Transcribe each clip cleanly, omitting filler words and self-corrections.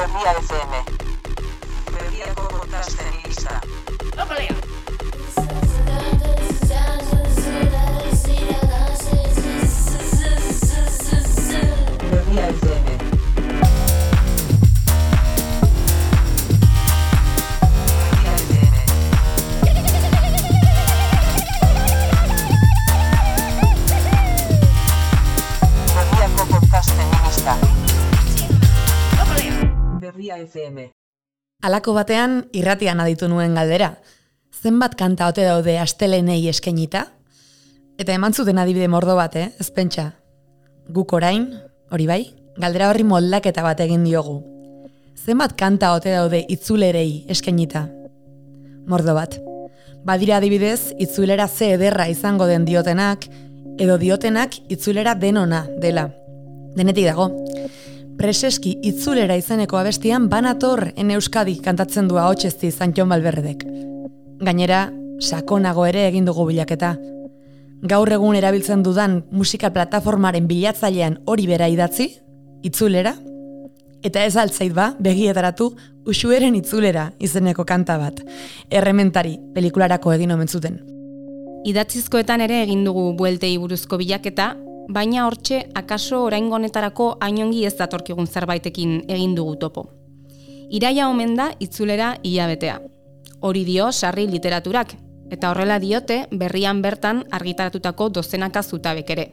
Berria FM. Berriako podcasten lista. Berria FM. Berria FM. Halako batean irratian aditu nuen galdera. Zenbat kanta ote daude astelenei eskainita? Eta eman zuten adibide mordo bat, ez pentsa. Guk orain, hori bai, galdera horri moldaketa bat egin diogu. Zenbat kanta ote daude itzulerei eskainita? Mordo bat. Badira adibidez, itzulera ze ederra izango den diotenak, edo diotenak itzulera denona dela. Denetik dago. Preseski itzulera izeneko abestian Banator en Euskadi kantatzen du ahotsezti Jon Balberredek. Gainera, sakonago ere egin dugu bilaketa. Gaur egun erabiltzen dudan musika plataformaren bilatzailean hori bera idatzi, itzulera, eta ez altzait ba, begietaratu Uxueren itzulera izeneko kanta bat. Errementari pelikularako egin omen zuten. Idatzizkoetan ere egin dugu bueltei buruzko bilaketa, baina hortxe akaso oraingo honetarako hainongi ez datorkigun zerbaitekin egin dugu topo. Iraia omen da itzulera hilabetea. Hori dio sarri literaturak, eta horrela diote berrian bertan argitaratutako dozenaka zutabek ere.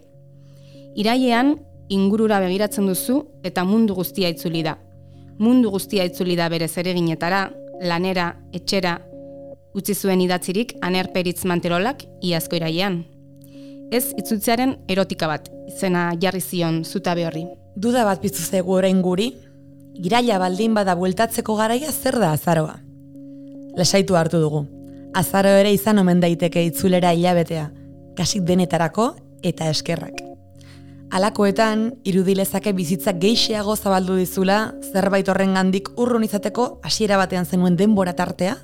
Irailean ingurura begiratzen duzu eta mundu guztia itzuli da. Mundu guztia itzuli da bere zereginetara, lanera, etxera, utzi zuen idatzirik Aner Peritz Manterolak iazko irailean. Ez itzultzearen erotika bat, izena jarri zion zutabe horri. Duda bat piztu zaigu orain guri, iraila baldin bada bueltatzeko garaia zer da azaroa? Lasaitu hartu dugu. Azaro ere izan omen daiteke itzulera hilabetea, kasik denetarako eta eskerrak. Halakoetan, irudilezake bizitza geixeago zabaldu dizula, zerbait horrengandik urrun izateko hasiera batean zenuen denbora tartea,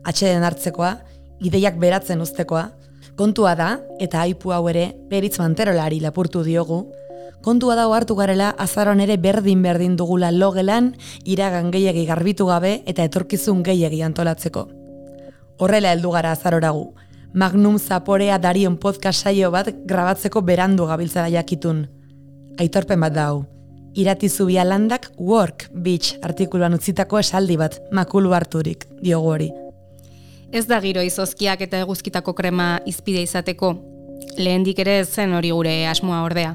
atxeden hartzekoa, ideiak beratzen uztekoa. Kontua da, eta aipu hau ere Peritz Manterolari lapurtu diogu, kontua da hartu garela azaroan ere berdin dugula logelan, iragan gehiegi garbitu gabe eta etorkizun gehiegi antolatzeko. Horrela heldu gara azaroragu. Magnum Zaporea Darion podcast saio bat grabatzeko berandu gabiltzara jakitun. Aitorpen bat da hau. Irati Zubia Landak Work Beach artikuluan utzitako esaldi bat makulu harturik diogu hori. Ez da giro izozkiak eta eguzkitako krema izpide izateko, lehendik ere zen hori gure asmoa ordea.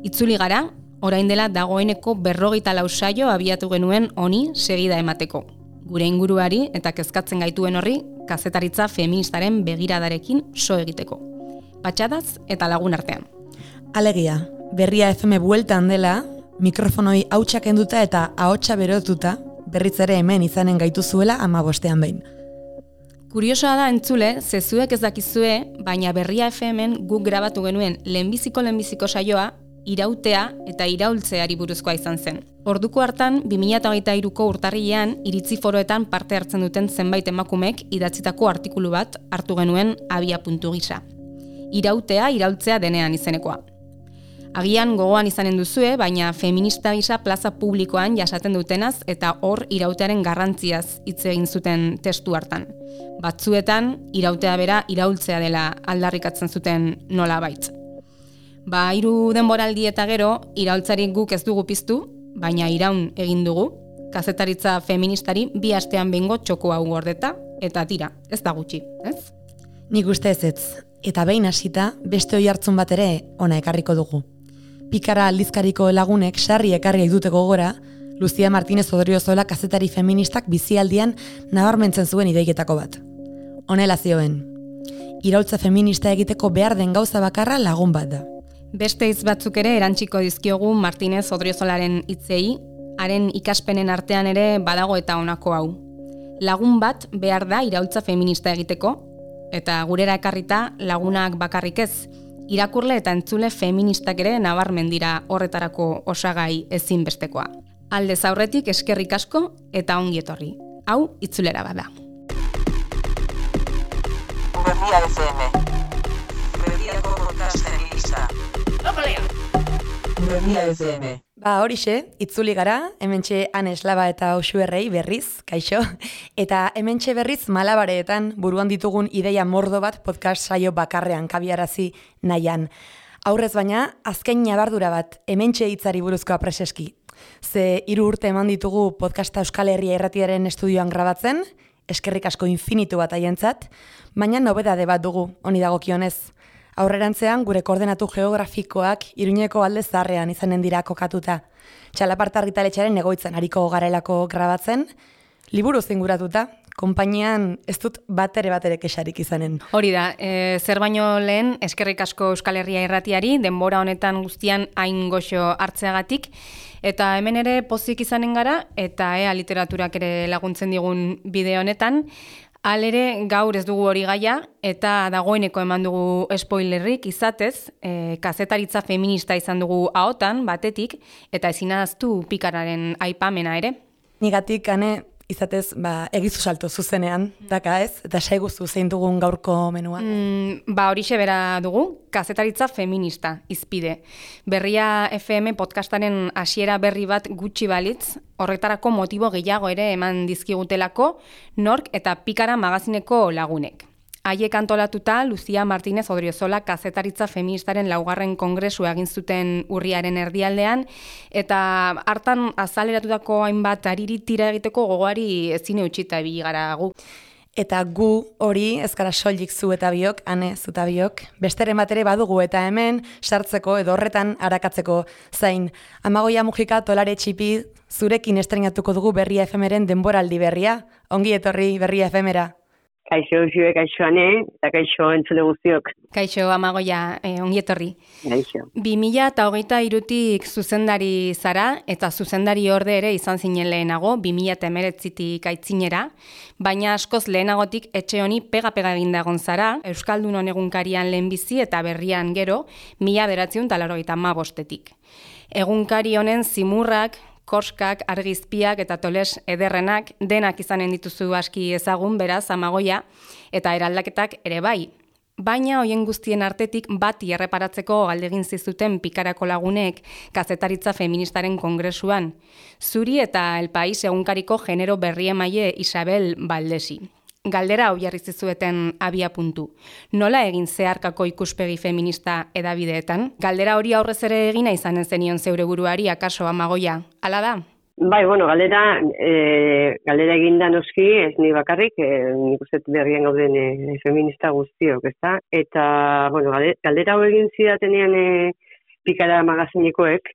Itzuli gara, orain dela dagoeneko 24 saio abiatu genuen honi segida emateko. Gure inguruari eta kezkatzen gaituen horri, kazetaritza feministaren begiradarekin so egiteko. Patxadaz eta lagun artean. Alegia, Berria FM bueltan dela, mikrofonoi hautsak enduta eta ahotsa berotuta, berriz ere hemen izanen gaituzuela 15 behin. Kuriosoa da entzule, zezuek ez dakizue, baina Berria FM-en guk grabatu genuen lehenbiziko saioa, irautea eta iraultzeari buruzkoa izan zen. Orduko hartan, 2023ko urtarrilean, iritzi foroetan parte hartzen duten zenbait emakumek idatzitako artikulu bat hartu genuen abia-puntu gisa. Irautea, iraultzea denean izenekoa. Agian gogoan izanen duzue, baina feminista gisa plaza publikoan jasaten dutenaz eta hor irautearen garrantziaz hitz egin zuten testu hartan. Batzuetan, irautea bera iraultzea dela aldarrikatzen zuten nolabait. 3 denboraldi eta gero, iraultzari guk ez dugu piztu, baina iraun egin dugu, kazetaritza feministari 2 astean behingo txoko hau gordeta, eta tira, ez da gutxi, ez? Nik uste ez, eta behin hasita beste oihartzun bat ere ona ekarriko dugu. Pikara aldizkariko lagunek sarri ekarri dute gogora, Lucia Martínez Odriozola kazetari feministak bizialdian nabarmentzen zuen ideietako bat. Honela zioen, iraultza feminista egiteko behar den gauza bakarra lagun bat da. Beste hitz batzuk ere erantsiko dizkiogu Martínez Odriozolaren hitzei, haren ikaspenen artean ere badago eta honako hau. Lagun bat behar da iraultza feminista egiteko, eta gurera ekarrita lagunak bakarrik ez, irakurle eta entzule feministak ere nabarmen dira horretarako osagai ezinbestekoa. Aldez aurretik eskerrik asko eta ongi etorri. Hau itzulera bada. Berria FM. Berriako podcasten lista. Berria FM. Horixe, itzuli gara, hementxe Ane Eslaba eta Oxuerrei berriz, kaixo, eta hementxe berriz Malabareetan buruan ditugun ideia mordo bat podcast saio bakarrean kabiarazi nahian. Aurrez baina, azken nabardura bat, hementxe hitzari buruzkoa preseski. Ze 3 urte eman ditugu podcasta Euskal Herria Irratiaren estudioan grabatzen, eskerrik asko infinitu bat haientzat, baina nobedade bat dugu, honi dagokionez. Aurrerantzean gure koordenatu geografikoak Iruñeko alde zaharrean izanen dira kokatuta. Txalaparta argitaletxearen egoitzan hariko garelako grabatzen, liburu zinguratuta, konpainian ez dut batere kexarik izanen. Hori da, zer baino lehen eskerrik asko Euskal Herria Irratiari, denbora honetan guztian hain goxo hartzeagatik, eta hemen ere pozik izanen gara, eta literaturak ere laguntzen digun bideo honetan. Halere gaur ez dugu hori gaia, eta dagoeneko eman dugu spoilerrik izatez, kazetaritza feminista izan dugu ahotan, batetik, eta ezinaztu pikararen aipamena ere. Nigatik, Ane, izatez, egizu salto zuzenean, daka ez, eta saiguzu zein dugun gaurko menua. Horixe bera dugu, kazetaritza feminista, izpide. Berria FM podcastaren hasiera berri bat gutxi balitz, horretarako motibo gehiago ere eman dizkigutelako, nork eta pikara magazineko lagunek. Haiek antolatuta, Lucia Martínez Odriozola kazetaritza feministaren 4. kongresua egin zuten urriaren erdialdean, eta hartan azaleratutako hainbat ariri tira egiteko gogoari ezin eutxita ibili gara gu. Eta gu hori ezkara soilik zu eta biok, Ane, zu eta biok, besteren bat ere badugu eta hemen sartzeko edo horretan arakatzeko zain. Amagoia Mujika Tolare Txipi zurekin estrenatuko dugu Berria FM-eren denboraldi berria. Ongi etorri Berria FM-era. Kaixo, kaixo Ane, eta kaixo entzule guztiok. Kaixo, Amagoia, ongi etorri. Kaixo. 2023tik zuzendari zara, eta zuzendari orde ere izan zinen lehenago, 2019tik aitzinera, baina askoz lehenagotik etxe honi pega-pega egindagon zara, Euskaldunon egunkarian lehenbizi eta berrian gero, 1985-etik. Egunkari honen zimurrak, korskak, argizpiak eta toles ederrenak denak izanen dituzu aski ezagun, beraz, Amagoia, eta eraldaketak ere bai. Baina hoien guztien artetik bati erreparatzeko galdegin zizuten pikarako lagunek kazetaritza feministaren kongresuan. Zuri eta El País egunkariko genero berri emaile Isabel Baldesi. Galdera hau jarri zizueten abia puntu. Nola egin zeharkako ikuspegi feminista edabideetan? Galdera hori aurrez ere egina izanen zenion zeure buruari, akaso Amagoia. Hala da? Bai, galdera eginda noski, ez ni bakarrik, nik uste berrian gauden feminista guztiok, ezta? Eta, galdera hau egin zidatenean pikara magazinekoek,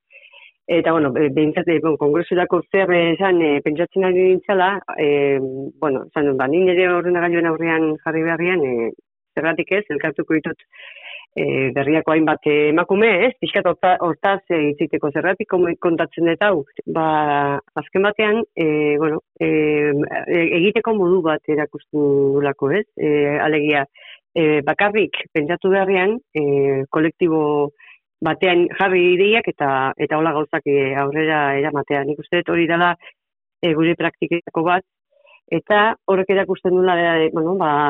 eta, behintzat, kongresurako zer esan pentsatzen ari dintzala, esan dut, nire ere ordenagailuen aurrean jarri beharrian, zergatik ez, elkartuko ditut berriako hainbat emakume, ez? Pixkat hortaz itziteko zergatik kontatzen dut hau. Azken batean, egiteko modu bat erakusten dulako, ez? Alegia, bakarrik pentsatu beharrian, kolektibo batean jarri ideiak eta hola gauzak aurrera eramatea. Nik uste dut hori dela gure praktiketako bat, eta horrek erakusten dula,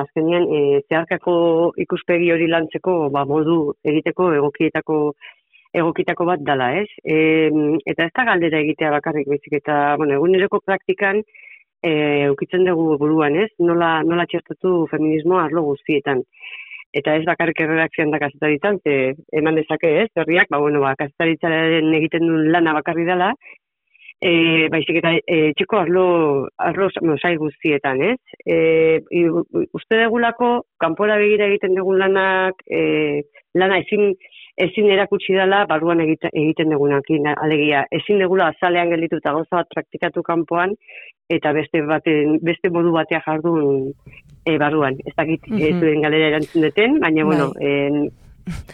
azkenean zeharkako ikuspegi hori lantzeko modu egiteko egokitako bat dela, ez? Eta ez da galdera egitea bakarrik bezik, eta eguneroko praktikan ukitzen dugu buruan, ez? Nola txertatu feminismoa arlo guztietan. Eta ez bakarrik erredakzioan da kazetaritzan, eman dezake, ez? Herriak, kazetaritzaren egiten duen lana bakarri dela, baizik eta txiko arlo sail guztietan, ez? Uste degulako, kanpora begira egiten dugun lana ezin erakutsi dela barruan egiten dugunak. Alegia, ezin degula azalean gelditu eta gauza bat praktikatu kanpoan, eta beste modu batea jardun barruan. Ez dakit zuen galera erantzun deten, baina,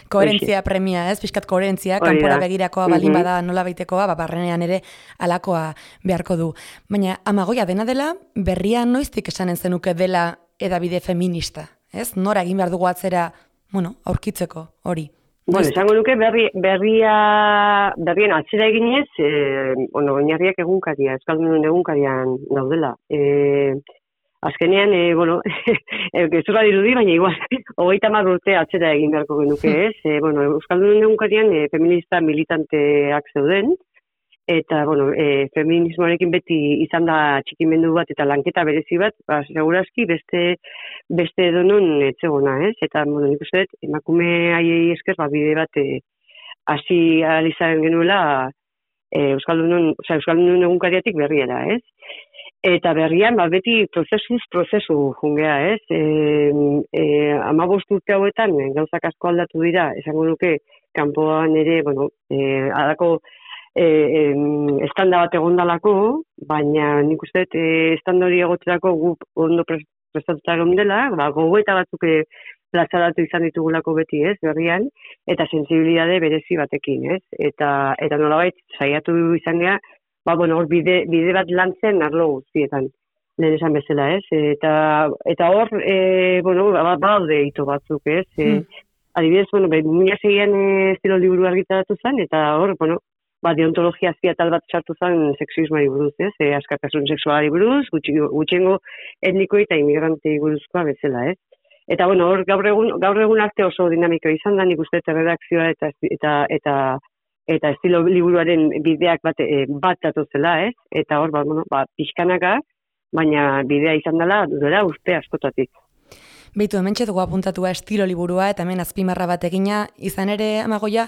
koherentzia premia, ez? Piskat koherentzia, kanpora begirakoa baldin bada nola baitekoa, barrenean ere alakoa beharko du. Baina, Amagoia, dena dela, berria noiztik esanen zenuke dela edabide feminista, ez? Nora egin behar dugu atzera, aurkitzeko hori. Esango nuke berrien atzera eginez, oinarriak egunkaria, Euskaldunon egunkarian daudela. Azkenean, gezurra dirudi, baina igual, 30 urte atzera egin beharko genuke, ez? Euskaldunon egunkarian feminista militanteak zeuden, eta, bueno, feminismoarekin beti izan da txikimendu bat eta lanketa berezi bat, segurazki beste edonon etzegona, ez? Eta, bueno, nik uste dut, emakume haiei esker, bide bat hasi alizaren genuela Euskaldunon egunkariatik berriera, ez? Eta berrian, beti prozesu jungea, ez? 15 urte hauetan, gauzak asko aldatu dira, esango nuke, kanpoan ere, bueno, adako estanda bat egondalako, baina nik uste estanda hori egoterako gu ondo prestatuta egon dela, gogoeta batzuk plazaratu izan ditugulako beti, ez, berrian, eta sensibilitate berezi batekin, ez? Eta nolabait, saiatu izan gea, hor bide bat lantzen arlo guztietan, lehen esan bezala, ez? Eta hor, baude hito batzuk, ez? Adibidez, 2006an estilo liburu argitaratu zen, eta hor, deontologia azpiatal bat sartu zen sexismoari buruz, ez? Askatasun sexualari buruz, gutxiengo etnikoi eta imigrantei buruzkoa bezala, ez? Eta, hor gaur egun arte oso dinamiko izan da, nik uste redakzioa eta estilo liburuaren bideak bat datozela, ez? Eta hor, pixkanaka, baina bidea izan dela, duela urte askotatik. Beitu, hemen txetugu apuntatua estilo liburua eta hemen azpimarra bat egina, izan ere, Amagoia,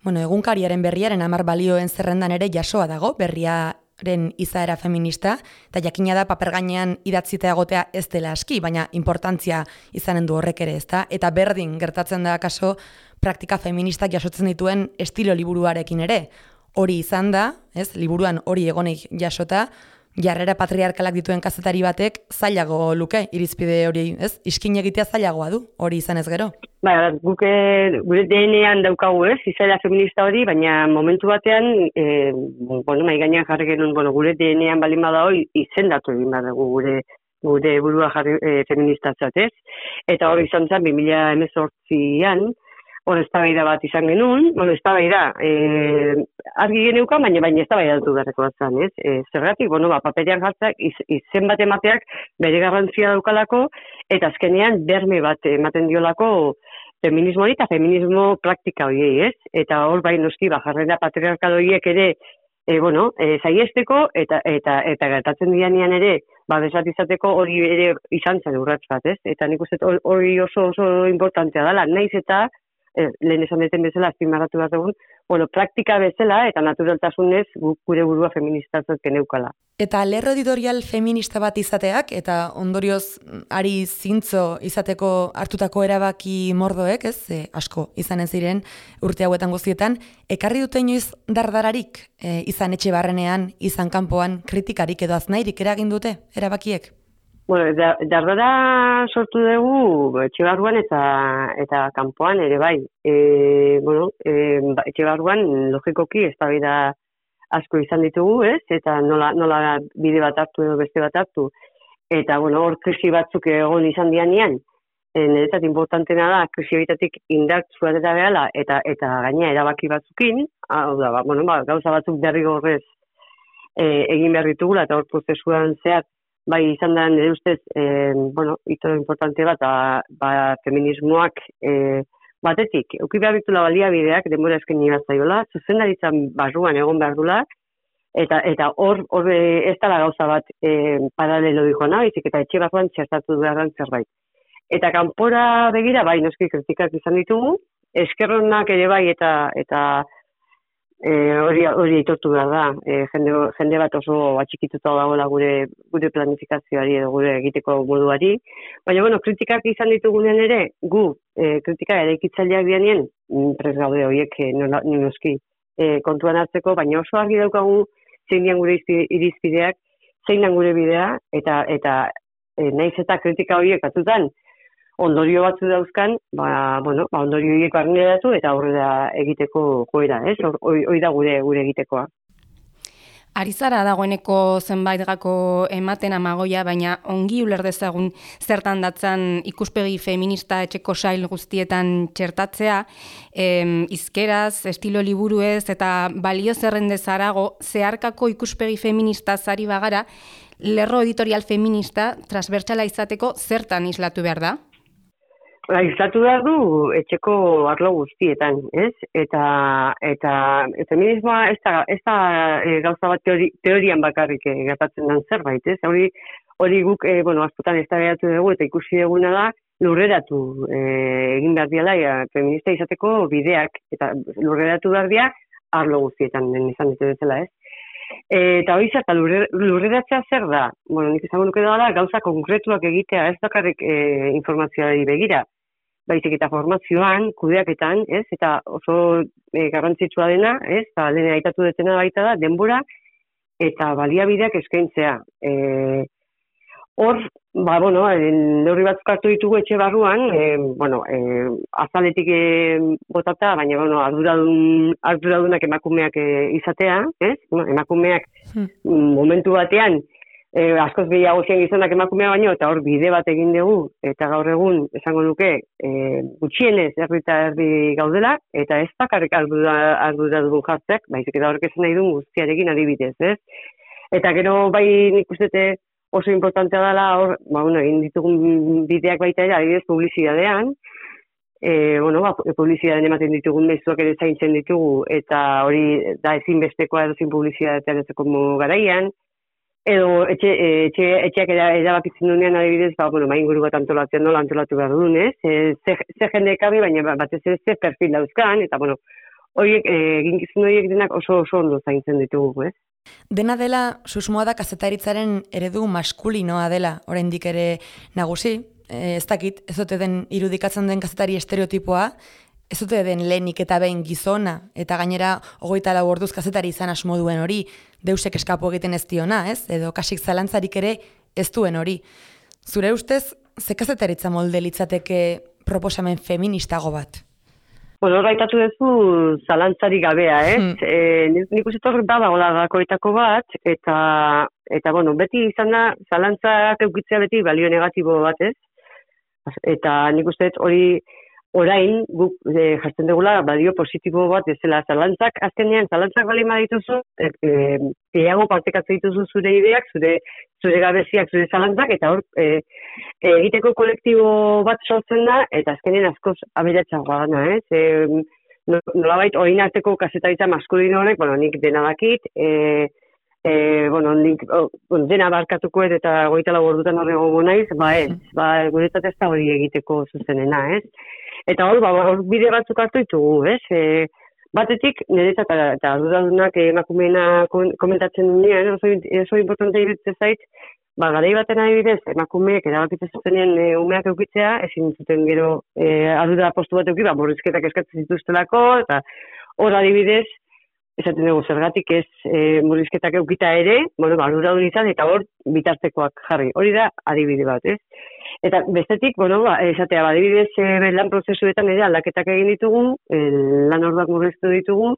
egunkariaren berriaren 10 balioen zerrendan ere jasoa dago, berriaren izaera feminista, eta jakina da paper gainean idatzita egotea ez dela aski, baina importantzia izanen du horrek ere, ezta? Eta berdin gertatzen da kaso praktika feministak jasotzen dituen estilo liburuarekin ere. Hori izan da, ez? Liburuan hori egonik jasota, jarrera patriarkalak dituen kazetari batek zailago luke irizpide hori, ez? Iskin egitea zailagoa du, hori izan ez gero. Gure DNA-an daukagu, ez? Izaera feminista hori, baina momentu batean, mai gainean jarri genuen, gure DNA-an balin bada hori izendatu egin badago gure burua jarri feministatzat, ez? Eta hori izan zen 2018an, hor eztabaida bat izan genuen, eztabaida argi geneuka, baina eztabaida dut beharreko bat zen, ez? Zergatik, paperean jartzak, izen bat emateak bere garrantzia daukalako, eta azkenean berme bat ematen diolako feminismo hori eta feminismo praktika horiei, ez? Eta hor noski, jarrera patriarkal horiek ere, saiesteko, eta gertatzen dianean ere, besat izateko hori ere izan zen urrats bat, ez? Eta nik uste hori oso importantea dela, naiz eta lehen esan deten bezala, azpimarratu bat egun, praktika bezala eta naturaltasunez gure burua feministatzat geneukala. Eta lerro editorial feminista bat izateak, eta ondorioz ari zintzo izateko hartutako erabaki mordoek, ez, asko izanen ziren urte hauetan guztietan, ekarri dute inoiz dardararik, izan etxe barrenean, izan kanpoan, kritikarik edo aznairik eragin dute erabakiek? Dardara sortu dugu etxe barruan eta kanpoan ere bai. Etxe barruan logikoki eztabaida asko izan ditugu, ez? Eta nola bide bat hartu edo beste bat hartu. Eta hor krisi batzuk egon izan dianean, niretzat importantena da krisi horitatik indartzua eta behala eta gaina erabaki batzukin, gauza batzuk derrigorrez egin behar ditugula eta hor prozesuan zehar bai izan da nire ustez, ito importante bat, feminismoak batetik. Euki behar ditula baliabideak, denbora eskeni bat zaiola, zuzendaritzan barruan egon behar dula, eta hor ez dela gauza bat paralelo dikoa baizik eta etxe barruan txertatu beharran zerbait. Eta kanpora begira, bai, noski kritikak izan ditugu, eskerronak ere bai eta hori aitortu behar da, jende bat oso atxikituta dagoela gure planifikazioari edo gure egiteko moduari. Baina, kritikak izan ditugunen ere, gu kritika eraikitzaileak dianien, prest gaude horiek noski kontuan hartzeko, baina oso argi daukagu zein dian gure irizpideak, zein dian gure bidea, eta naiz eta kritika horiek batzutan, ondorio batzu dauzkan, ondorio horiek barneratu eta aurrera egiteko joera, ez? Hoi da gure egitekoa. Arizara dagoeneko zenbait gako ematen Amagoia, baina ongi uler dezagun zertan datzan ikuspegi feminista etxeko sail guztietan txertatzea, izkeraz, estilo liburuez eta balio zerrendez harago zeharkako ikuspegi feminista zari bagara, lerro editorial feminista transbertsala izateko zertan islatu behar da? izatu behar du etxeko arlo guztietan, ez? Eta feminismoa ez da gauza bat teorian bakarrik gertatzen den zerbait, ez? Hori guk, askotan eztabaidatu dugu eta ikusi duguna da lurreratu egin behar diala feminista izateko bideak, eta lurreratu behar dira arlo guztietan, izan dute bezala, ez? Eta hori eta lurreratzea zer da? Nik izango nuke da gauza konkretuak egitea, ez bakarrik informazioari begira, baizik eta formazioan, kudeaketan, ez? Eta oso garrantzitsua dena, ez? Lehen aitatu detena baita da, denbora eta baliabideak eskaintzea. Hor, neurri batzuk hartu ditugu etxe barruan, azaletik botata, baina, arduradunak emakumeak izatea, ez? Emakumeak momentu batean, askoz gehiago zen gizonak emakumea baino, eta hor bide bat egin dugu, eta gaur egun, esango nuke, gutxienez erdi eta erdi gaudela, eta ez bakarrik arduradun jartzeak, baizik eta horrek esan nahi duen guztiarekin adibidez, ez? Eta gero bai nik ustete, oso importantea dela, hor, egin ditugun bideak baita ere, adibidez, publizidadean, publizidadean ematen ditugun mezuak ere zaintzen ditugu, eta hori da ezinbestekoa edozin publizidadean ezeko garaian, edo etxeak erabakitzen duenean adibidez, inguru bat antolatzen nola antolatu behar duen, ez? Ze jende ekabi, baina batez ez ze perfil dauzkan, eta horiek, eginkizun horiek denak oso ondo zaintzen ditugu, ez? Dena dela, susmoa da kazetaritzaren eredu maskulinoa dela, oraindik ere nagusi, ez dakit, ez dute den irudikatzen den kazetari estereotipoa, ez dute den lehenik eta behin gizona, eta gainera 24 orduz kazetari izan asmo duen hori, deusek eskapo egiten ez diona, ez? Edo kasik zalantzarik ere ez duen hori. Zure ustez, ze kazetaritza molde litzateke proposamen feministago bat? Hor gaitatu duzu zalantzari gabea, ez? Nik uste hor badagoela gakoetako bat, eta beti izan da, zalantzak eukitzea beti balio negatibo bat, ez? Eta nik uste hori orain guk jartzen dugula balio positibo bat ezela zalantzak, azkenean zalantzak bali badituzu, gehiago partekatzen dituzu zure ideak, zure gabeziak, zure zalantzak, eta hor egiteko kolektibo bat sortzen da, eta azkenean askoz aberatsagoa dana, ez? Nolabait orain arteko kazetaritza maskulino horrek, nik dena dakit, nik dena barkatuko eta 24 ordutan horrego naiz, guretzat ez da hori egiteko zuzenena, ez? Eta hor bide batzuk hartu ditugu, ez? Batetik, niretzat eta arduradunak emakumeena komentatzen duenean, oso importante iruditzen zait, garai baten adibidez, emakumeek erabakitzen zutenean umeak eukitzea, ezin zuten gero ardura postu bat euki, murrizketak eskatzen zituztelako, eta hor adibidez, esaten dugu zergatik ez murrizketak eukita ere, arduradun izan, eta hor bitartekoak jarri. Hori da adibide bat, ez? Eta bestetik, esatea, adibidez, lan prozesuetan ere aldaketak egin ditugu, lan orduak murriztu ditugu,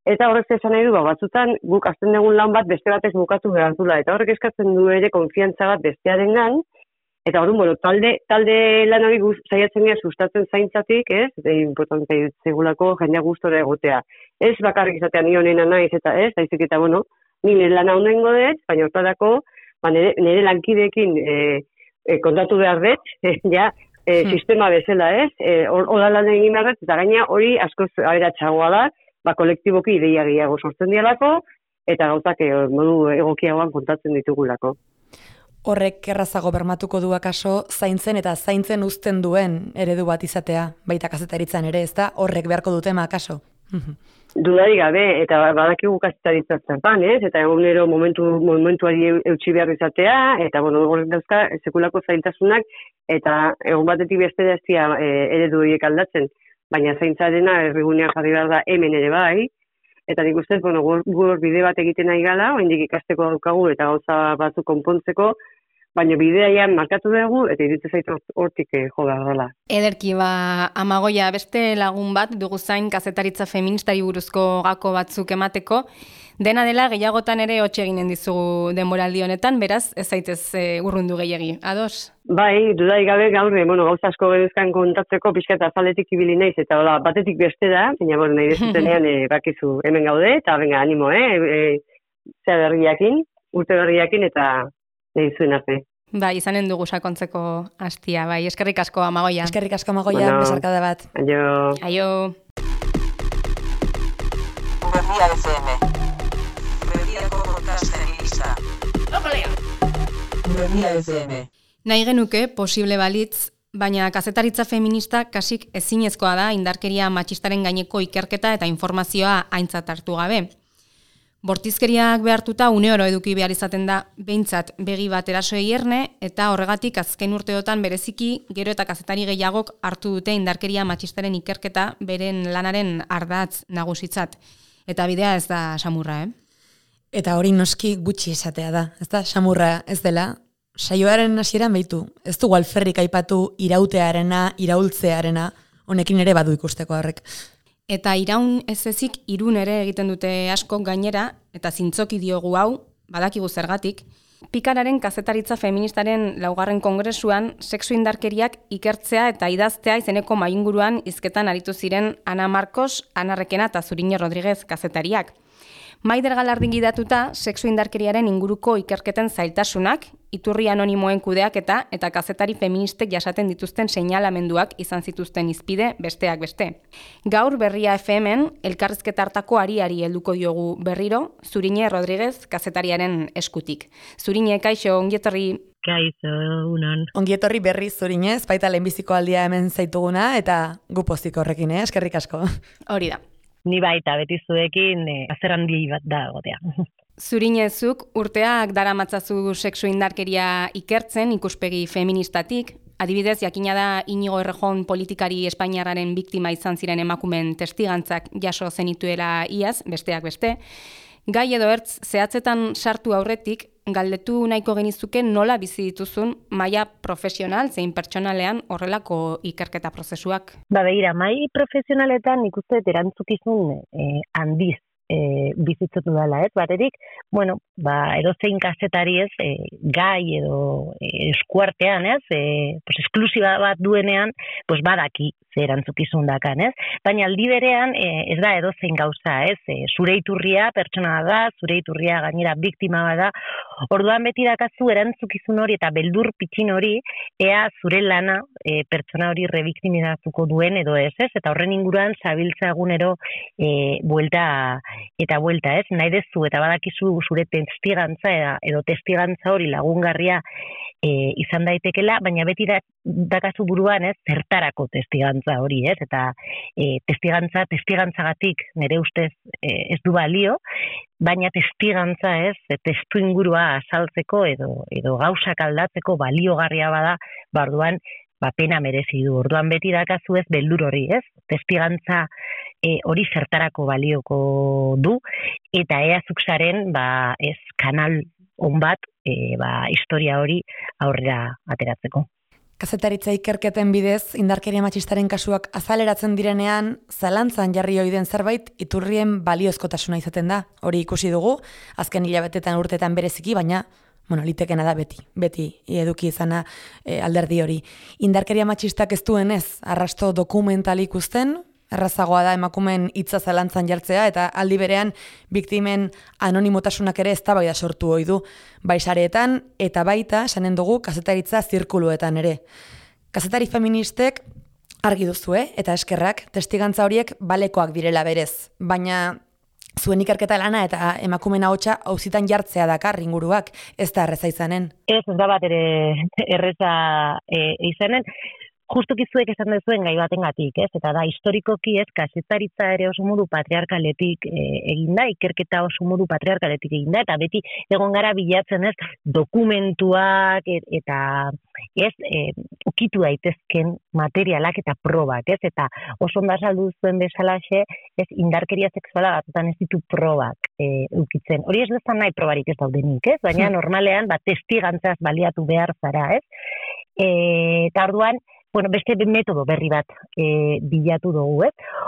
eta horrek esan nahi du, batzutan guk azten dugun lan bat beste batez bukatu behar dula, eta horrek eskatzen du ere konfiantza bat bestearen gan, eta hori, talde lan hori saiatzen gara sustatzen zaintzatik, ez? Eta importantea zegulako jendea gustora egotea. Ez bakarrik izatea ni honena naiz, eta ez, daizik eta, ni nire lan hau nengo dut, baina hortarako, nire lankideekin kontatu behar dut, sistema bezala, ez? Hora lan egin behar dut, eta gaina hori askoz aberatsagoa da, kolektiboki ideia gehiago sortzen dialako, eta gauzak modu egokiagoan kontatzen ditugulako. Horrek errazago bermatuko du akaso zaintzen eta zaintzen uzten duen eredu bat izatea, baita kazetaritzan ere, ez da? Horrek beharko dutema akaso? Dudari gabe, eta badakigu kazetaritza zertan, ez? Eta egunero momentuari eutxi behar izatea, eta horrek dauzka sekulako zaintasunak, eta egun batetik bestera ez dira eredu horiek aldatzen, baina zaintzarena errigunean jarri behar da hemen ere bai, eta nik ustez, gur bide bat egiten nahi gala, oraindik ikasteko daukagu eta gauza batzuk konpontzeko, baina bideian markatu dugu eta iruditzen zait hortik jo behar dela. Ederki, Amagoia, beste lagun bat dugu zain kazetaritza feministari buruzko gako batzuk emateko, dena dela gehiagotan ere hotxe eginen dizugu denboraldi honetan, beraz ez zaitez urrundu gehiegi, ados? Bai, dudai gabe gaur, gauza asko geruzkan kontatzeko pixka eta azaletik ibili naiz, eta batetik beste da, baina nahi dezutenean bakizu hemen gaude, eta venga, animo, zea berriakin, urte berriakin, eta nahi zuen arte. Bai, izanen dugu sakontzeko hastia, bai, eskerrik asko Amagoia. Eskerrik asko Amagoia, besarkada bat. Aio. Aio. Berria FM. Berriako podcasten lista. Berria FM. Nahi genuke posible balitz, baina kazetaritza feminista kasik ezinezkoa da indarkeria matxistaren gaineko ikerketa eta informazioa aintzat hartu gabe. Bortizkeriak behartuta uneoro eduki behar izaten da behintzat begi bat erasoei erne, eta horregatik azken urteotan bereziki gero eta kazetari gehiagok hartu dute indarkeria matxistaren ikerketa beren lanaren ardatz nagusitzat. Eta bidea ez da samurra, Eta hori noski gutxi esatea da, ez da samurra ez dela. Saioaren hasieran behitu, ez dugu alferrik aipatu irautearena, iraultzearena, honekin ere badu ikusteko horrek. Eta iraun ez ezik irun ere egiten dute asko gainera, eta zintzoki diogu hau, badakigu zergatik, Pikararen kazetaritza feministaren 4. kongresuan sexu indarkeriak ikertzea eta idaztea izeneko mainguruan hizketan aritu ziren Ana Marcos, Ana Requena eta Zuriñe Rodríguez kazetariak. Maider Galardin gidatuta, sexu indarkeriaren inguruko ikerketen zailtasunak, iturri anonimoen kudeaketa eta kazetari feministek jasaten dituzten seinalamenduak izan zituzten hizpide besteak beste. Gaur Berria FM-en elkarrizketa hartako ariari helduko diogu berriro, Zuriñe Rodríguez kazetariaren eskutik. Zuriñe, kaixo, ongietorri. Kaixo, unon. Ongietorri berri Zuriñez, baita lehenbiziko aldia hemen zaituguna, eta gu pozik horrekin, eskerrik asko. Hori da. Ni baita beti zuekin azer handi bat da gotea. Zuriñezuk urteak daramatzazu sexu indarkeria ikertzen ikuspegi feministatik. Adibidez, jakina da Inigo Errejón politikari espainiarraren biktima izan ziren emakumen testigantzak jaso zenituela iaz, besteak beste. Gai edo ertz, zehatzetan sartu aurretik, galdetu nahiko genizuke nola bizi dituzun maila profesional zein pertsonalean horrelako ikerketa prozesuak. Begira, mai profesionaletan nik uste erantzukizun handiz bizitzen dudala, baterik, edozein kazetari ez, gai edo eskuartean, esklusiba bat duenean, badaki ze erantzukizun dakan, baina aldi berean ez da edozein gauza, zure iturria pertsona da, zure iturria gainera biktima da, orduan beti dakazu erantzukizun hori eta beldur pitxin hori, ea zure lana pertsona hori rebiktimizatuko duen edo ez, eta horren inguruan zabiltza egunero buelta, nahi dezu eta badakizu zure testigantza edo testigantza hori lagungarria izan daitekela, baina beti dakazu buruan zertarako testigantza hori, eta testigantzagatik nire ustez ez du balio, baina testigantza testu ingurua azaltzeko edo gauzak aldatzeko baliogarria bada, orduan pena merezi du. Orduan beti dakazu beldur hori, testigantza hori zertarako balioko du, eta ea zukzaren kanal on bat historia hori aurrera ateratzeko. Kazetaritza ikerketen bidez, indarkeria matxistaren kasuak azaleratzen direnean, zalantzan jarri ohi den zerbait iturrien baliozkotasuna izaten da. Hori ikusi dugu, azken hilabetetan urtetan bereziki, baina litekena da beti eduki izana alderdi hori. Indarkeria matxistak ez duenez, arrasto dokumental ikusten, errazagoa da emakumeen hitza zalantzan jartzea, eta aldi berean biktimen anonimotasunak ere eztabaida sortu ohi du, bai sareetan eta baita esanen dugu kazetaritza zirkuluetan ere. Kazetari feministek argi duzue eta eskerrak testigantza horiek balekoak direla berez, baina zuen ikerketa lana eta emakumeen ahotsa auzitan jartzea dakar inguruak, ez da erreza izanen. Ez da bat ere erreza izanen. Justuki zuek esan duzuen gai batengatik, eta da historikoki kazetaritza ere oso modu patriarkaletik eginda, ikerketa oso modu patriarkaletik eginda, eta beti egon gara bilatzen dokumentuak eta ukitu daitezken materialak eta probak, eta oso ondo azaldu zuen bezalaxe, indarkeria sexuala batzutan ez ditu probak ukitzen. Hori ez dezan nahi probarik ez daudenik, baina normalean testigantzaz baliatu behar zara, eta orduan, beste metodo berri bat bilatu dugu,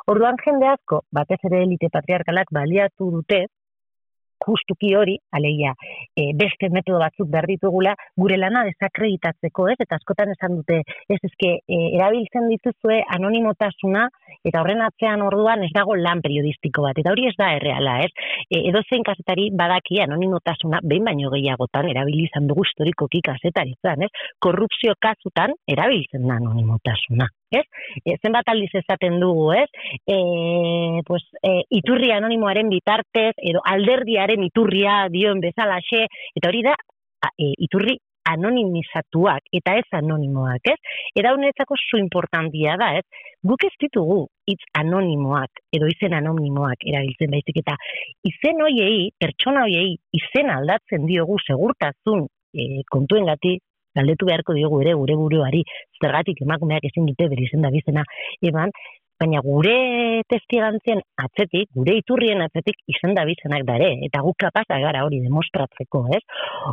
Orduan jende asko, batez ere elite patriarkalak baliatu dute, justuki hori, alegia, beste metodo batzuk behar ditugula, gure lana desakreditatzeko, ez? Eta askotan esan dute, erabiltzen dituzue anonimotasuna, eta horren atzean orduan ez dago lan periodistiko bat, eta hori ez da erreala, ez? Edozein kazetari badaki anonimotasuna, behin baino gehiagotan, erabili izan dugu historikoki kazetaritzan, ez? Korrupzio kasutan, erabiltzen da anonimotasuna, ez? Zenbat aldiz esaten dugu, ez? Iturri anonimoaren bitartez, edo alderdiaren iturria dioen bezalaxe, eta hori da, iturri anonimizatuak, eta ez anonimoak, ez? Eta honetzako zu importantia da, ez? Guk ez ditugu hitz anonimoak, edo izen anonimoak erabiltzen baizik, eta izen hoiei, pertsona hoiei, izen aldatzen diogu segurtasun kontuengatik, galdetu beharko diogu ere gure buruari, zergatik emakumeak ezin dute bere izen da bizena eman, baina gure testigantzen atzetik, gure iturrien atzetik izendabizenak da ere, eta guk kapazak gara hori demostratzeko, ez?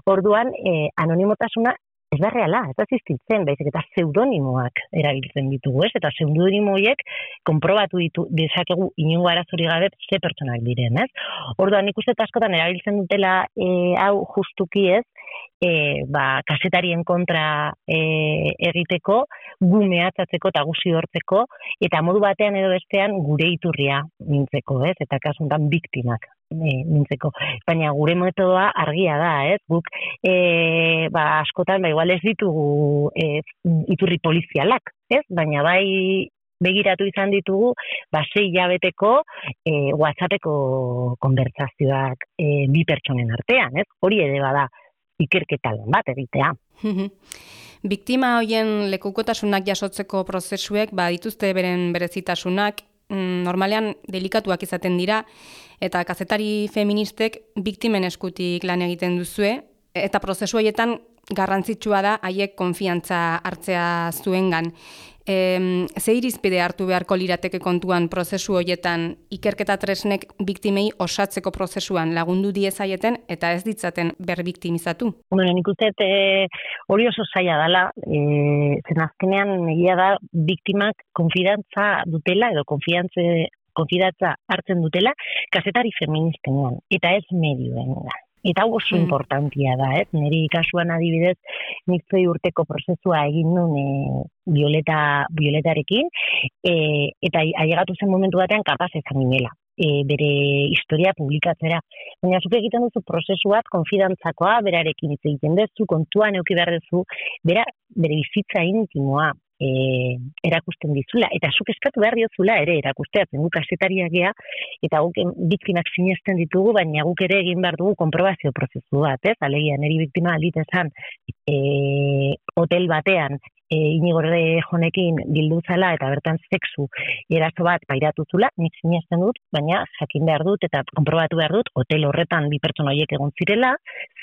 Orduan, anonimotasuna ez da reala, ez da existitzen, baizik eta pseudonimoak erabiltzen ditugu, ez? Eta pseudonimoiek konprobatu dezakegu inongo arazori gabe ze pertsonak diren, ez? Orduan, nik uste askotan erabiltzen dutela hau justuki ez, kasetarien kontra egiteko, gu mehatzatzeko eta gu zidortzeko, eta modu batean edo bestean gure iturria mintzeko, ez? Eta kasuntan biktimak mintzeko. Baina gure metodoa argia da, ez? Guk askotan, igual ez ditugu iturri polizialak, ez? Baina bai begiratu izan ditugu, 6 hilabeteko WhatsAppeko konbertsazioak bi pertsonen artean, ez? Hori ere bada ikerketa lan bat egitea. Biktima hoien lekukotasunak jasotzeko prozesuek dituzte beren berezitasunak, normalean delikatuak izaten dira, eta kazetari feministek biktimen eskutik lan egiten duzue, eta prozesu horietan garrantzitsua da haiek konfiantza hartzea zuengan. Ze irizpide hartu beharko lirateke kontuan prozesu horietan ikerketa tresnek biktimei osatzeko prozesuan lagundu diezaieten eta ez ditzaten berbiktimizatu? Nik uste hori oso zaila dela, zen azkenean egia da biktimak konfidantza dutela edo konfidantza hartzen dutela kazetari feministenean eta ez medioen da. Eta oso importantia da, ez? Niri kasuan adibidez, nik 2 urteko prozesua egin nuen Violetarekin, eta ailegatu zen momentu batean kapaz ezan ginela, bere historia publikatzera. Baina zuk egiten duzu prozesu bat, konfidantzakoa, berarekin hitz egiten duzu, kontuan eduki behar duzu, bere bizitza intimoa erakusten dizula, eta zuk eskatu behar diozula ere erakusteatzen guk kazetariak gea, eta guk biktimak sinesten ditugu, baina guk ere egin behar dugu konprobazio prozesu bat, ez? Alegia, niri biktima aldit esan hotel batean Inigo Errejonekin bildu zala eta bertan sexu eraso bat pairatu zula, nik sinesten dut, baina jakin behar dut eta konprobatu behar dut, hotel horretan bi pertsona horiek egon zirela,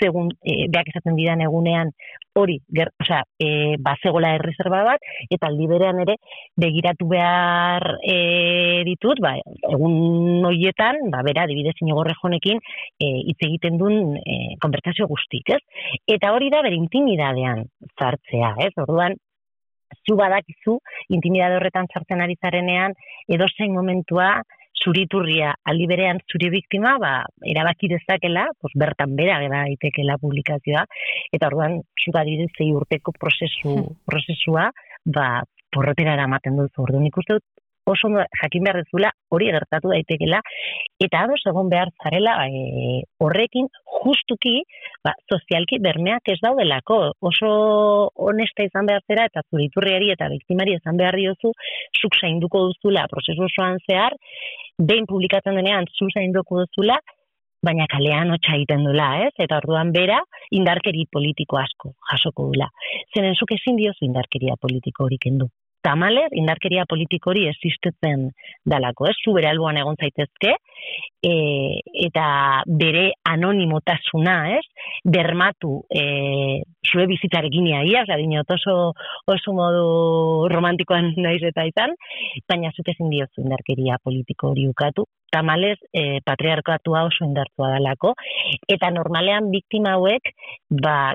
segun beak esaten didan egunean hori, bazegola erreserba bat, eta aldi berean ere begiratu behar ditut, egun horietan, bera, adibidez Inigo Errejonekin hitz egiten duen konbertsazio guztik, ez? Eta hori da bere intimidadean sartzea, ez? Orduan, zu badakizu, intimidade horretan sartzen ari zarenean, edozein momentua, zuri iturria, aldi berean zuri biktima, erabaki dezakela, bertan bera daitekela publikazioa, eta orduan, zu adibidez 6 urteko prozesua, porrotera eramaten duzu. Orduan, ikuste dut, oso jakin behar dezula, hori gertatu daitekela, eta ados egon behar zarela horrekin justuki sozialki bermeak ez daudelako. Oso honesta izan behar zera, eta zure iturriari eta biktimari izan behar diozu, zuk zainduko duzula prozesu osoan zehar, behin publikatzen denean zu zainduko duzula, baina kalean hotxa egiten dula, ez? Eta orduan bera, indarkeri politiko asko jasoko dula. Zeren zuk ezin diozu indarkeria politiko hori kendu. Tamalez, indarkeria politiko hori existitzen dalako, ez? Zu bere alboan egon zaitezke, eta bere anonimotasuna, ez? Bermatu zure bizitzarekin ia, oso modu romantikoan naiz eta izan, baina zuk ezin diozu indarkeria politiko hori ukatu. Tamalez, patriarkatua oso indartua dalako, eta normalean biktima hauek,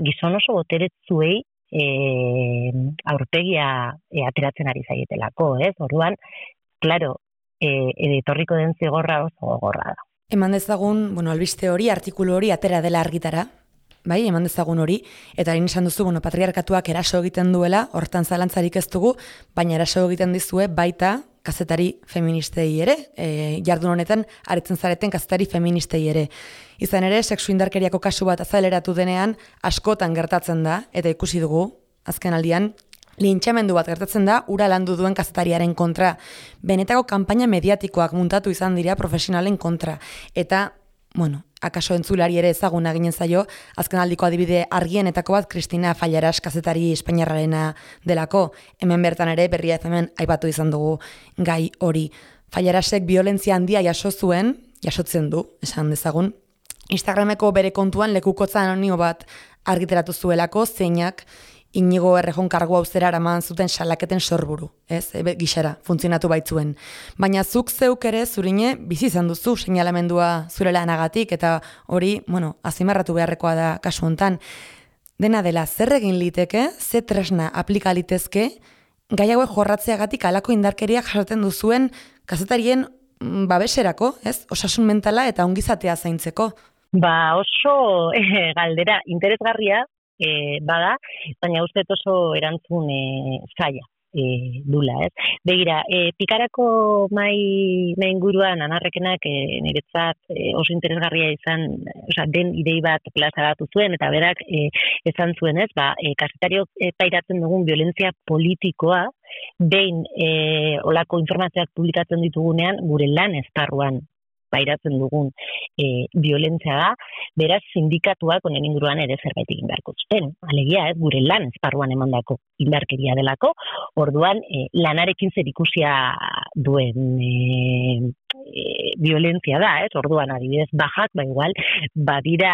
gizon oso boteretzuei aurpegia ateratzen ari zaietelako, ez? Orduan, claro, etorriko den zigorra oso gogorra da. Eman dezagun, albiste hori, artikulu hori atera dela argitara, bai, eman dezagun hori, eta hain esan duzu, patriarkatuak eraso egiten duela, hortan zalantzarik ez dugu, baina eraso egiten dizue baita kazetari feministei ere, jardun honetan aritzen zareten kazetari feministei ere. Izan ere, sexu indarkeriako kasu bat azaleratu denean, askotan gertatzen da, eta ikusi dugu, azken aldian, lintxamendu bat gertatzen da, ura landu duen kazetariaren kontra. Benetako kanpaina mediatikoak muntatu izan dira profesionalen kontra. Eta, akaso entzulari ere ezaguna ginen zaio, azken aldiko adibide argienetako bat Cristina Fallaras kazetari espainiarrarena delako. Hemen bertan ere Berria FM aipatu izan dugu gai hori. Fallarasek violentzia handia jasotzen du, esan dezagun. Instagrameko bere kontuan lekukotza anonimo bat argiteratu zuelako, zeinak Inigo Errejon kargu auzera eraman zuten salaketen sorburu, gixara, funtzionatu baitzuen. Baina zuk zeuk ere zurine bizi izan duzu seinalamendua zure lanagatik, eta hori, azimarratu beharrekoa da kasu hontan. Dena dela, zer egin liteke, ze tresna aplika litezke, gai hauek jorratzeagatik halako indarkeriak jasaten duzuen kazetarien babeserako, osasun mentala eta ongizatea zaintzeko. Oso galdera interesgarria, bada, baina uste oso erantzun zaila dula, Begira, pikarako mai inguruan anarrekenak niretzat oso interesgarria izan, den idei bat plazaratu zuen, eta berak esan zuen, kazetariok pairatzen dugun violentzia politikoa, behin olako informazioak publikatzen ditugunean, gure lan esparruan pairatzen dugun violentzia da, beraz sindikatuak honen inguruan ere zerbait egin beharko zuten. Alegia, gure lan esparruan emandako indarkeria delako, orduan lanarekin zerikusia duen violentzia da, orduan adibidez bajak, igual, badira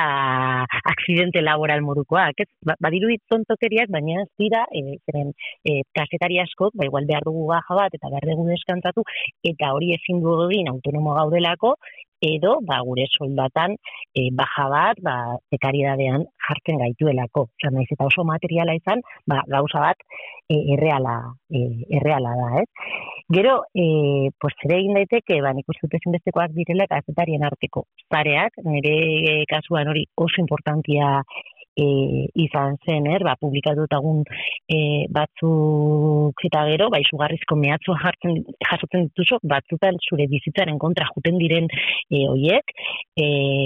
akzidente laboral modukoak, badiru tontakeriak, baina ez dira, kazetari askok, igual behar dugu baja bat, eta behar dugu deskantzatu, eta hori ezin du egin autonomo gaudelako, edo, gure soldatan baja bat, prekaridadean jartzen gaituelako. Naiz eta oso materiala izan, gauza bat erreala da, Gero, zer egin daiteke, nik uste dut ezinbestekoak direla kazetarien arteko zareak, nire kasuan hori oso importantia izan zen, publikatutagun batzuk eta gero, izugarrizko mehatxua jasotzen dituzu, batzutan zure bizitzaren kontra juten diren hoiek,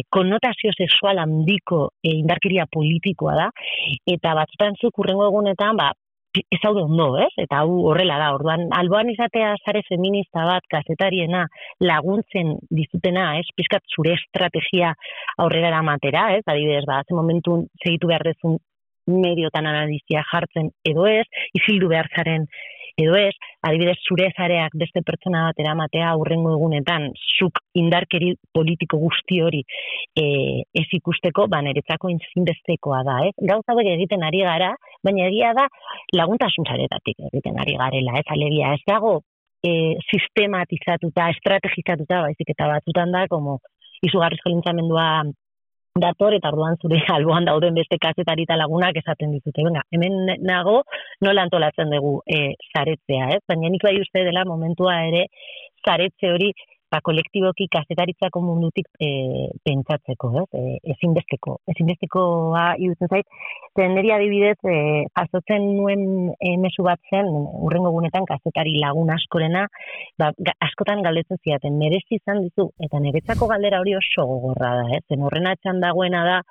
konnotazio sexual handiko indarkeria politikoa da, eta batzutan zuk hurrengo egunetan, ez hau ondo, eta hau horrela da, orduan, alboan izatea sare feminista bat, kazetariena, laguntzen dizutena, pizkat zure estrategia aurrera eramatera, adibidez, ze momentun segitu behar dezun mediotan analizia jartzen edo ez, izildu behar zaren edo ez, adibidez zure zareak beste pertsona bat eramatea hurrengo egunetan, zuk indarkeri politiko guzti hori ez ikusteko, niretzako ezinbestekoa da, Gauza hauek egiten ari gara, baina egia da laguntasun saretatik egiten ari garela, alegia, ez dago sistematizatuta, estrategizatuta, baizik eta batzutan da, izugarrizko lintxamendua dator, eta orduan zure alboan dauden beste kazetari eta lagunak esaten ditute. Hemen nago nola antolatzen dugu zaretzea, baina nik bai uste dela momentua ere zaretze hori kolektiboki kazetaritzako mundutik pentsatzeko, ezinbestekoa irutzen zait. Niri adibidez, jasotzen nuen mezu bat zen, hurrengo egunetan kazetari lagun askorena, askotan galdetzen zidaten, merezi izan dizu, eta niretzako galdera hori oso gogorra da, zen horren atxan dagoena da,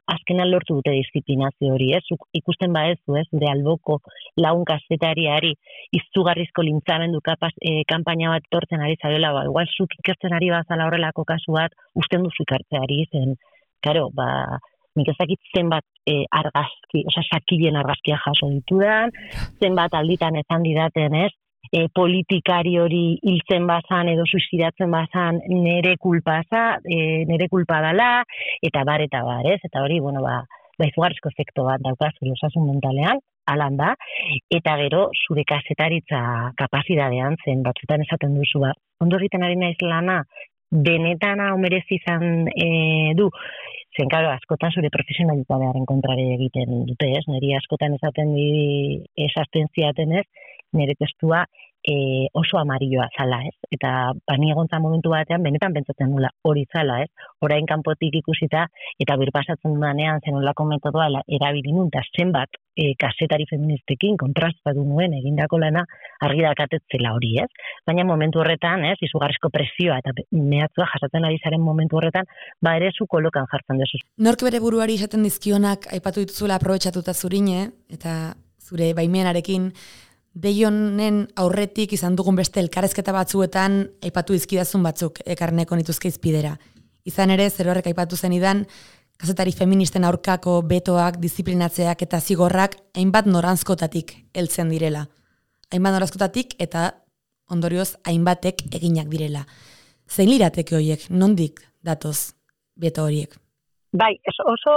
azkenan lortu dute disiplinazio hori, ikusten badezu, zure alboko lagun kazetariari izugarrizko lintzamendu kanpaina bat tortzen ari zarela, igual zuk ikertzen ari bazala horrelako kasu bat, usten duzu ikartzeari zen, karo, nik ezakit zenbat argazki, sakilen argazkia jaso ditudan, zenbat alditan ezan didaten, politikari hori hiltzen bazan edo suizidatzen bazan nere kulpa dala, eta bar, eta hori, izugarrizko efekto bat daukazu osasun mentalean, alan da, eta gero zure kazetaritza kapazitatean zen, batzutan esaten duzu, ondo egiten ari naiz lana, benetan hau merezi izan du, zen, karo, askotan zure profesionalitatearen kontrare egiten dute, niri askotan esaten ziaten nire testua oso amarilloa zala, ez? Eta ni egontza momentu batean benetan pentsatzen nula hori zala, ez? Orain kanpotik ikusita eta birpasatzen dudanean zenolako metodoa erabili nun, eta zenbat kazetari feministekin kontrastatu nuen egindako lana argi dakatetzela hori, ez? Baina momentu horretan, ez, izugarrizko presioa eta mehatzua jasatzen ari zaren momentu horretan, ere zu kolokan jartzen dezu. Nork bere buruari esaten dizkionak aipatu dituzula aprobetxatuta zurine, eta zure baimenarekin, deionen aurretik izan dugun beste elkarrezketa batzuetan aipatu dizkidazun batzuk ekarneko nituzke izpidera. Izan ere, zer horrek aipatu zenidan, kazetari feministen aurkako betoak, disiplinatzeak eta zigorrak hainbat noranzkotatik heltzen direla. Hainbat noranzkotatik eta ondorioz hainbatek eginak direla. Zein lirateke horiek, nondik datoz beto horiek? Bai, oso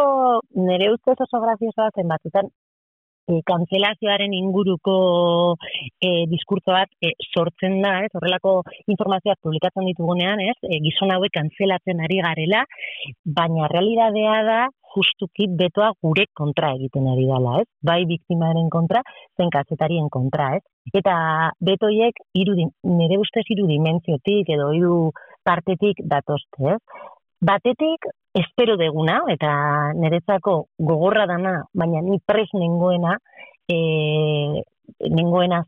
nire ustez oso graziosoa zen batzutan kantzelazioaren inguruko diskurtso bat sortzen da, ez? Horrelako informazioak publikatzen ditugunean, ez? Gizon hauek kantzelatzen ari garela, baina realidadea da justuki betoa gure kontra egiten ari dela, ez? Bai biktimaren kontra, zen kazetarien kontra, ez? Eta betoiek nire ustez 3 dimentsiotik edo 3 partetik datozte, ez? Batetik, espero deguna, eta niretzako gogorra dana, baina ni pres nengoena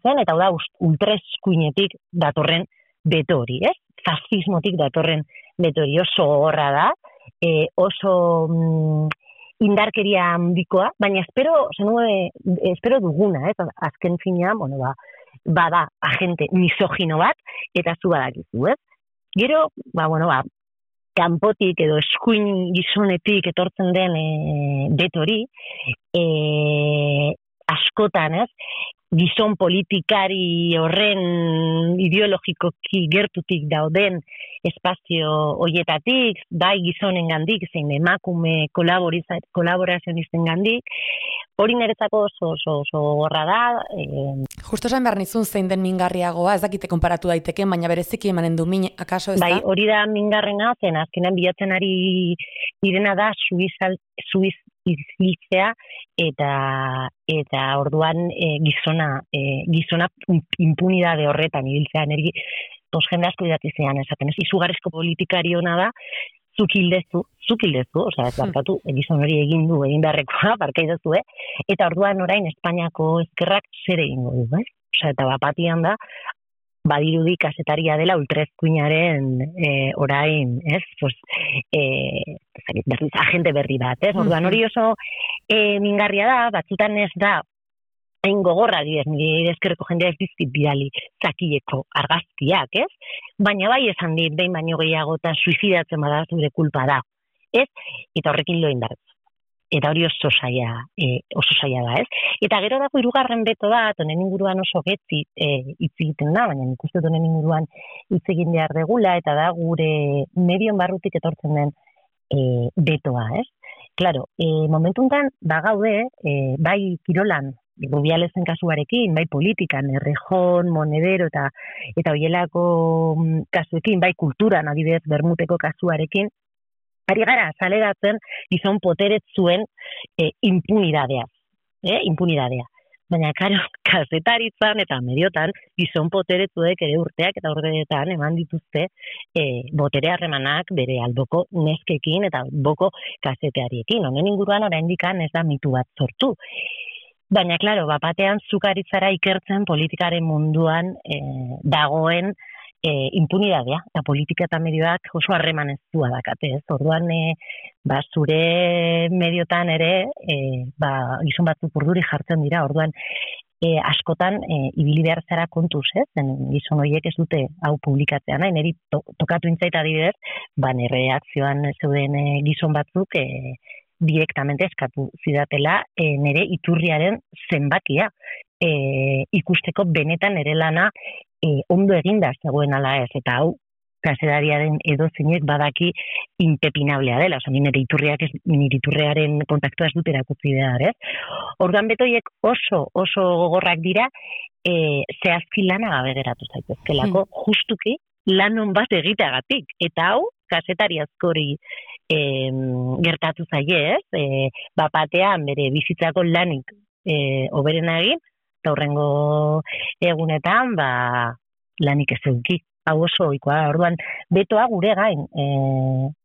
zen, eta da ultraeskuinetik datorren beto hori, ez? Fascismotik datorren beto hori, oso gogorra da, oso indarkeria handikoa, baina espero duguna, ez? Azken finean, bada agente misogino bat, eta zu badakizu, ez? Gero, kanpotik edo eskuin gizonetik etortzen den beto hori, askotan, ez? Gizon politikari horren ideologikoki gertutik dauden espazio hoietatik, bai gizonengandik, zein emakume kolaborazionisten gandik, hori niretzako oso gorra da. Justo esan behar nizun zein den mingarriagoa, ez dakite konparatu daiteken, baina bereziki emanen du min, akaso ez da? Bai, hori da mingarrena, zen azkenan bilatzen ari direna da suiz izlitzea eta orduan gizona impunidade horretan ibiltzea, jende asko idatzi zean esaten, ez izugarrizko politikari hona da, zuk hildezu, osea, ez barkatu, gizon hori egin beharrekoa, barkaidazu, eta orduan orain Espainiako ezkerrak zer egingo du, osea, eta bapatian da, badirudi kazetaria dela ultraeskuinaren orain, ez? Agente berri bat, ez? Orduan hori oso mingarria da, batzutan ez da hain gogorra dira, nire ezkerreko jendea ez dizkit bidali zakileko argazkiak, ez? Baina bai esan dit, behin baino gehiagotan suizidatzen bada zure kulpa da, ez? Eta horrekin lo indartzu. Eta hori oso saia da, ez? Eta gero dago 3. beto bat, honen inguruan oso getzi hitz egiten da, baina nik uste honen inguruan hitz egin behar degula, eta da gure medion barrutik etortzen den betoa, ez? Claro, momentu honetan bagaude, bai kirolan, Rubialezen kasuarekin, bai politikan, Errejon, Monedero eta hoielako kasuekin, bai kulturan, adibidez, Bermuteko kasuarekin, ari gara azaleratzen gizon poteretzuen impunidadea. Baina, karo, kazetaritzan eta mediotan gizon poteretzuek ere urteak eta urteetan eman dituzte botere harremanak bere alboko neskekin eta alboko kazeteariekin. Honen inguruan oraindikan ez da mitu bat sortu. Baina, klaro, bapatean zukaritzara ikertzen politikaren munduan dagoen impunidadea, eta politika eta medioak oso harreman ez dua dakate, ez? Orduan, zure mediotan ere, gizon batzuk urduri jartzen dira, orduan, askotan, ibili behar zara kontuz, ez? Gizon horiek ez dute hau publikatzea nahi, niri tokatu intzait adibidez, nire akzioan zeuden gizon batzuk, direktamente eskatu zidatela nire iturriaren zenbakia ikusteko benetan nire lana ondo eginda zegoen ala ez, eta hau kazetariaren edozeinek badaki impepinablea dela, oza, nire iturriaren kontaktua ez dut erakutzi behar, ez? Orduan betoiek oso gogorrak dira, zehazki lana gabe geratu zaitezkelako, justuki lanon bat egiteagatik, eta hau kazetari askori gertatu zaie, ez? Bapatean bere bizitzako lanik oberena egin, eta hurrengo egunetan, lanik ez eduki. Hau oso ohikoa, orduan betoa gure gain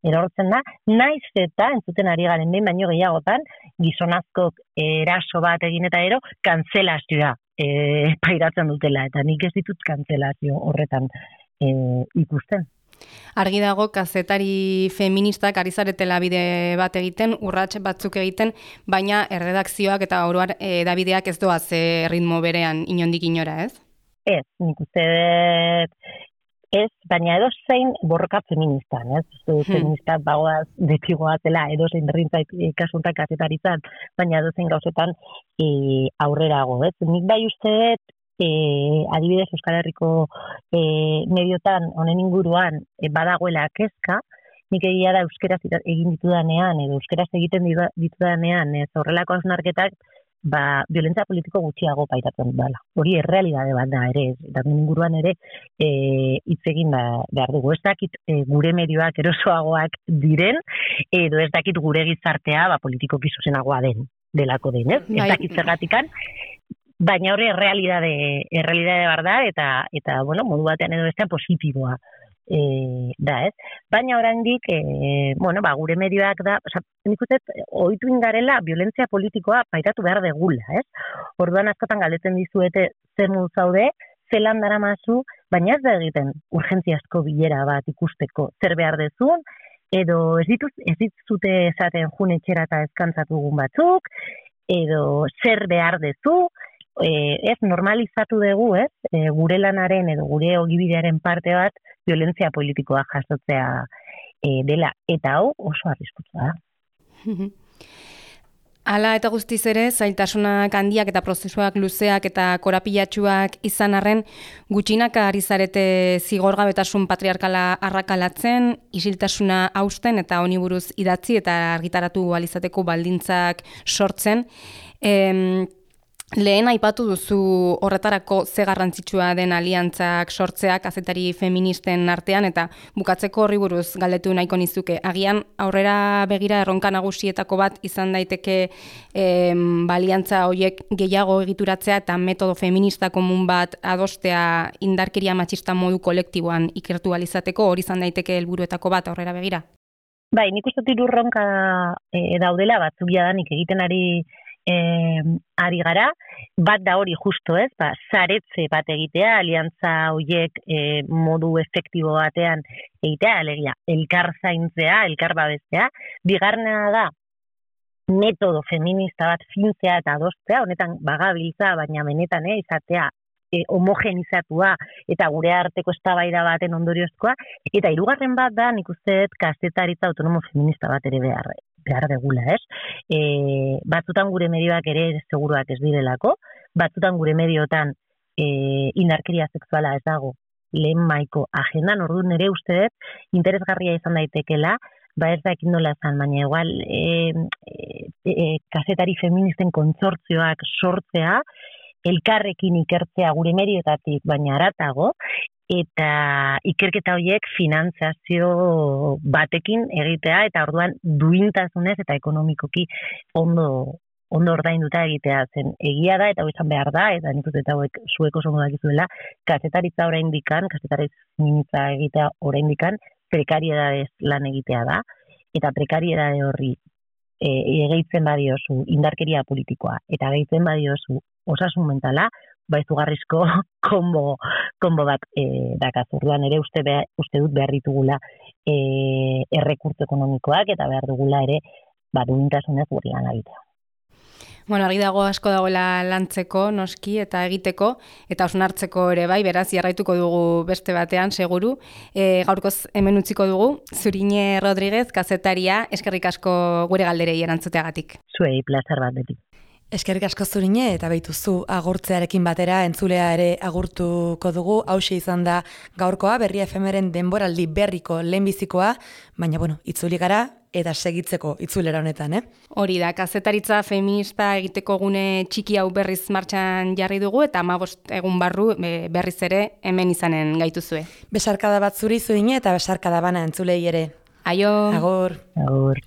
erortzen da, naiz eta entzuten ari garen behin baino gehiagotan, gizonazkok eraso bat egin eta kantzelazioa pairatzen dutela, eta nik ez ditut kantzelazio horretan ikusten. Argi dago, kazetari feministak ari zaretela bide bat egiten, urrats batzuk egiten, baina erredakzioak eta oroar edabideak ez doaz ritmo berean inondik inora, ez? Ez, nik uste ez, baina edo zein borroka feministan, ez? Feminista bagoaz detigoazela, edo zein berrintzait kasuntak kazetaritzan, baina edo zein gauzetan aurrerago, ez? Nik bai usteet, adibidez Euskal Herriko mediotan honen inguruan badagoela kezka, nik egia da euskeraz egin ditudanean, edo euskeraz egiten ditudanean, ez horrelako hausnarketak, violentzia politiko gutxiago pairatzen dela. Hori errealidade bat da ere, eta inguruan ere hitz egin behar dugu. Ez dakit gure medioak erosoagoak diren, edo ez dakit gure gizartea politikoki zuzenagoa delako den, ez? Ez dakit zergatikan, baina hori errealidade bar da, eta bueno, modu batean edo bestean positiboa da, ez? Baina oraindik, gure medioak da, nik uste, ohitu ingarela violentzia politikoa pairatu behar degula, ez? Orduan askotan galdetzen dizuete zer modu zaude, zelan daramazu, baina ez da egiten urgentziazko bilera bat ikusteko zer behar dezun, edo ez dituzute esaten jun etxera eta eskantzatu dugun batzuk, edo zer behar dezu, ez normalizatu dugu, ez? Gure lanaren edo gure ogibidearen parte bat violentzia politikoa jasotzea dela, eta hau oso arriskutsua da. Hala eta guztiz ere, zailtasunak handiak eta prozesuak luzeak eta korapilatsuak izan arren, gutxinak ari zarete zigorgabetasun patriarkala arrakalatzen, isiltasuna hausten eta honi buruz idatzi eta argitaratu alizateko baldintzak sortzen. Lehen aipatu duzu horretarako ze garrantzitsua den aliantzak sortzeak kazetari feministen artean, eta bukatzeko horri buruz galdetu nahiko nizuke. Agian aurrera begira erronka nagusietako bat izan daiteke aliantza horiek gehiago egituratzea eta metodo feminista komun bat adostea indarkeria matxista modu kolektiboan ikertu alizateko, hori izan daiteke helburuetako bat aurrera begira? Bai, nik uste dut erronka daudela batzuk jadanik egiten ari gara, bat da hori justo, ez? Saretze bat egitea, aliantza horiek modu efektibo batean egitea, alegia, elkar zaintzea, elkar babestea. Bigarrena da, metodo feminista bat fintzea eta adostea, honetan bagabiltza, baina benetan izatea homogenizatua eta gure arteko eztabaida baten ondoriozkoa, eta hirugarren bat da, nik uste kazetaritza autonomo feminista bat ere behar degula, ez? Batzutan gure medioak ere seguruak ez direlako, batzutan gure mediotan indarkeria sexuala ez dago lehen maiko agendan, orduan ere uste interesgarria izan daitekela, ez dakit nola zan, baina igual kazetari feministen kontsortzioak sortzea, elkarrekin ikertzea gure medioetatik baina haratago, eta ikerketa horiek finantzazio batekin egitea, eta orduan duintasunez eta ekonomikoki ondo ordainduta egitea zen. Egia da, eta hau izan behar da, eta nik uste eta hauek zueko oso dakizuela, kazetaritza oraindikan, kazetaritza egitea oraindikan, prekariedadez lan egitea da, eta prekariedade horri gehitzen badiozu indarkeria politikoa, eta gehitzen badiozu osasun mentala, izugarrizko konbo bat dakaz. Orduan ere uste dut behar ditugula errekurtso ekonomikoak, eta behar dugula ere duintasunez gure lan egitea. Bueno, argi dago asko dagoela lantzeko, noski, eta egiteko, eta hausnartzeko ere bai, beraz, jarraituko dugu beste batean, seguru. Gaurkoz hemen utziko dugu, Zurine Rodríguez, kazetaria, eskerrik asko gure galderei erantzuteagatik. Zuei, plazer bat betik. Eskerrik asko Zurine, eta behituzu agurtzearekin batera entzulea ere agurtuko dugu. Hauxe izan da gaurkoa, Berria FM-ren denboraldi berriko lehenbizikoa, baina itzuli gara eta segitzeko itzulera honetan, Hori da, kazetaritza feminista egiteko gune txiki hau berriz martxan jarri dugu, eta 15 egun barru berriz ere hemen izanen gaituzue. Besarkada bat zuri Zurine, eta besarkada bana entzulei ere. Aio! Agur! Agur!